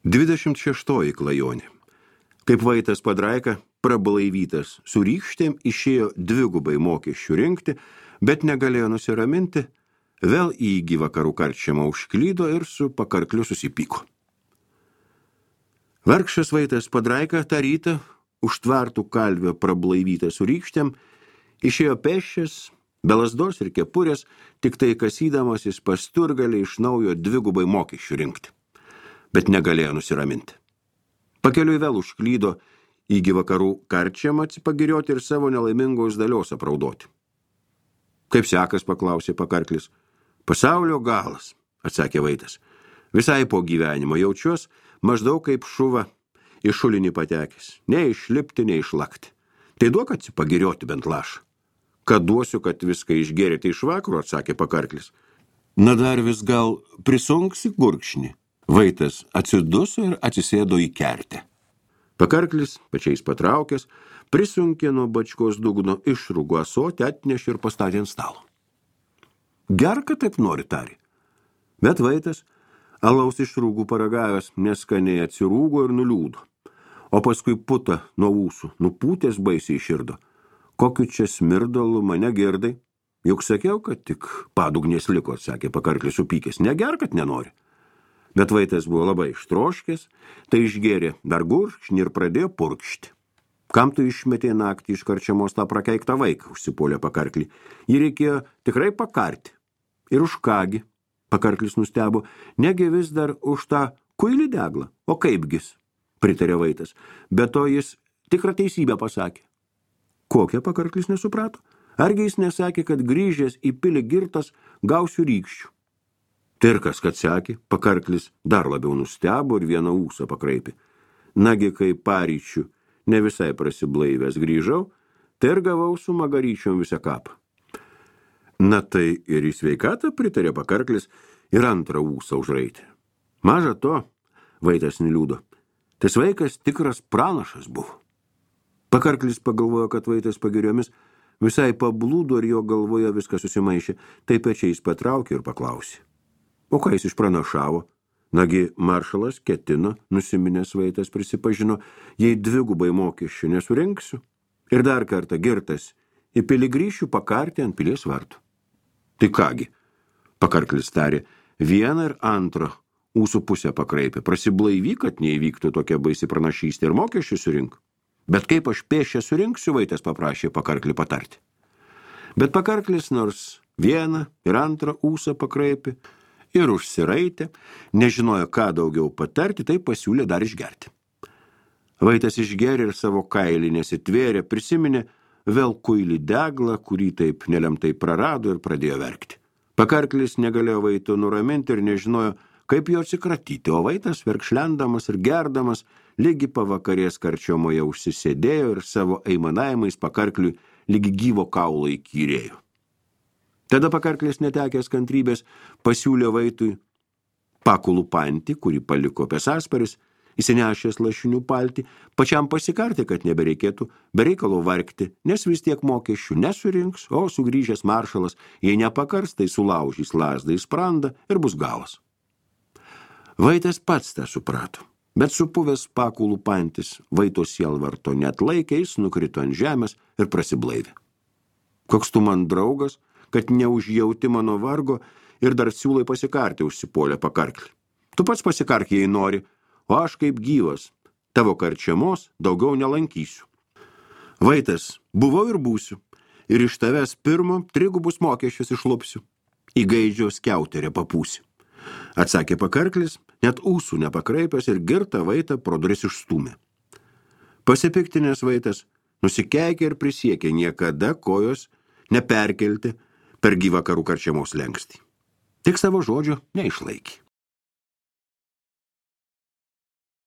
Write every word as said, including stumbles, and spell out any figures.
Dvidešimt šeštoji klajonė. Kaip Vaitas Padraika, prablaivytas su rykštėm, išėjo dvigubai mokesčių rinkti, bet negalėjo nusiraminti, vėl į gyvakarų karčiamą užklydo ir su pakarkliu susipyko. Vargšas Vaitas Padraika tą rytą, užtvartų kalvio prablaivytą su rykštėm, išėjo pėsčias, be lazdos ir kepurės, tik tai kasydamasis pas turgalį iš naujo dvigubai mokesčių rinkti. Bet negalėjo nusiraminti. Pakeliui vėl užklydo į gyvakarų karčiamą atsipagirioti ir savo nelaimingos dalios apraudoti. Kaip sekas, paklausė pakarklis. Pasaulio galas, atsakė Vaitas. Visai po gyvenimo jaučiuos maždaug kaip šuva į šulinį patekęs. Ne išlipti, ne išlakti. Tai duok atsipagirioti bent lašą. Kad duosiu, kad viską išgerėte iš vakaro, atsakė pakarklis. Na dar vis gal prisunksi gurkšnį. Vaitas atsiduso ir atsisėdo į kertę. Pakarklis, pačiais patraukęs, prisunkė nuo bačkos dugno išrūgo ąsotį, atnešė ir pastatė ant stalo. Gerka taip nori, tarė. Bet Vaitas, alaus išrūgų paragavęs, neskaniai atsirūgo ir nuliūdo. O paskui puta nuo ūsų, nupūtės baisiai širdo. Kokiu čia smirdalu mane girdai? Juk sakiau, kad tik padugnės liko, atsakė pakarklis supykęs. Neger, kad nenori. Bet Vaitas buvo labai ištroškęs, tai išgėrė dar gurkšnį ir pradėjo purkšti. Kam tu išmetė naktį iš karčiamos tą prakeiktą vaiką, užsipuolė pakarklį. Jį reikėjo tikrai pakarti. Ir už kągi, pakarklis nustebo, negi vis dar už tą kuilį deglą. O kaipgis, pritarė Vaitas. Be to jis tikrą teisybę pasakė. Kokią, pakarklis nesuprato? Argi jis nesakė, kad grįžęs į pilį girtas gausiu rykščių? Tai ir kas, kad sekė, pakarklis dar labiau nustebo ir vieną ūsą pakraipė. Nagi, kai paryčių ne visai prasiblaivęs grįžau, tai ir gavau su magaryčiom visą kapą. Na tai ir į sveikatą pritarė pakarklis ir antrą ūsą užraitė. Maža to, Vaitas neliūdo, tas vaikas tikras pranašas buvo. Pakarklis pagalvojo, kad Vaitas pagiriomis visai pablūdo ir jo galvoje viską susimaišė, tai pečiais patraukė ir paklausė. O ką jis išpranašavo? Nagi maršalas ketino, nusiminęs Vaitas prisipažino, jei dvigubai mokesčių nesurinksiu ir dar kartą girtas į pilį grįšiu pakarti ant pilies vartų. Tai kągi, pakarklis tarė, vieną ir antrą ūsų pusę pakraipė, prasiblaivyk, kad neįvyktų tokia baisi pranašystė ir mokesčių surink. Bet kaip aš pėšę surinksiu, Vaitas paprašė pakarklį patarti. Bet pakarklis nors vieną ir antrą ūsą pakraipė, ir užsiraitė, nežinojo, ką daugiau patarti, tai pasiūlė dar išgerti. Vaitas išgerė ir savo kailį nesitvėrė, prisiminė vėl kuilį deglą, kurį taip nelemtai prarado ir pradėjo verkti. Pakarklis negalėjo Vaito nuraminti ir nežinojo, kaip jo atsikratyti, o Vaitas verkšlendamas ir gerdamas lygi pavakarės karčiomoje užsisėdėjo ir savo aimanavimais pakarkliui lygi gyvo kaulo įkyrėjo. Tada pakarklis netekęs kantrybės pasiūlė Vaitui pakulų pantį, kurį paliko pesasparis, įsinešęs lašinių paltį, pačiam pasikarti, kad nebereikėtų bereikalo vargti, nes vis tiek mokesčių nesurinks, o sugrįžęs maršalas, jei nepakars, tai sulaužys lazdą į sprandą ir bus galas. Vaitas pats tą suprato, bet supuvęs pakulų pantis Vaito sielvarto neatlaikė, jis nukrito ant žemės ir prasiblaivė. Koks tu man draugas, kad neužjauti mano vargo ir dar siūlai pasikarti, užsipuolė pakarklį. Tu pats pasikark, jei nori, o aš kaip gyvas, tavo karčiamos daugiau nelankysiu. Vaitas, buvau ir būsiu, ir iš tavęs pirmo trigubus mokesčius išlupsiu, į gaidžio skiauterę papūsi. Atsakė pakarklis, net ūsų nepakraipęs ir girtą Vaitą pro duris išstūmė. Pasipiktinės Vaitas nusikeikė ir prisiekė niekada kojos neperkelti per gyvakarų karčiamos lengstį. Tik savo žodžio neišlaikė.